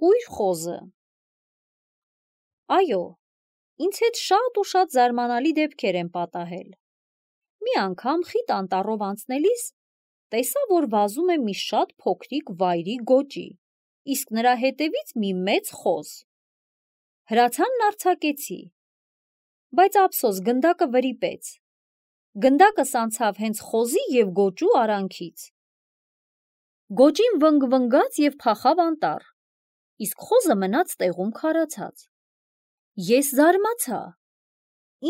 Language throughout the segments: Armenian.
կույր խոզը։ Այո, ինձ հետ շատ ու շատ զարմանալի դեպքեր են պատահել։ Մի անգամ խիտ անտառով անցնելիս տեսա, որ վազում է մի շատ փոքրիկ վայրի գոճի, իսկ նրա հետևից մի մեծ խոզ։ Հրացանն արձակեցի, բայց ափսոս գնդակը վրիպեց։ Գնդակս անցավ հենց խոզի և գոճու արանքից։ Գոճին վնգվնգաց և փախավ անտառ, իսկ խոզը մնաց տեղում քարացած։ Ես զարմացա.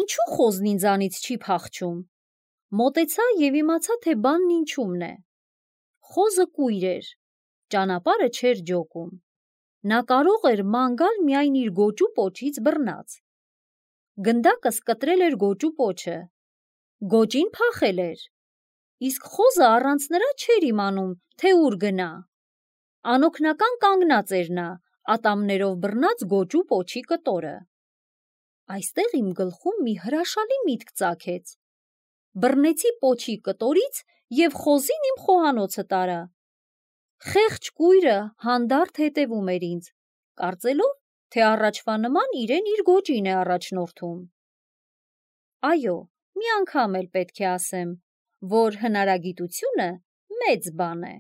ինչու խոզն ինձանից չի փախչում։ Մոտեցա և իմացա, թե բանն ինչումն է։ Խոզը կույր էր, ճանապարհը չէր ջոկում։ Նա կարող էր ման գալ միայն իր գոճու պոչից բռնած։ Գնդակս կտրել էր գոճու պոչը։ Գոճին փախել էր, իսկ խոզը առանց նրա չէր իմանում, թե ուր գնա։ Անօգնական կանգնած էր նա, ատամներով բռնած գոճու պոչի կտորը։ Այստեղ իմ գլխում մի հրաշալի միտք ծագեց։ Բռնեցի պոչի կտորից և խոզին իմ խոհանոցը տարա։ Խեղճ կույրը հանդարտ հետևում էր ինձ, կարծելով, թե առաջվա նման իրեն իր գոճին է առաջնորդում։ Այո, մի անգամ էլ պետք է ասեմ, որ հնարագիտությունը մեծ բան է։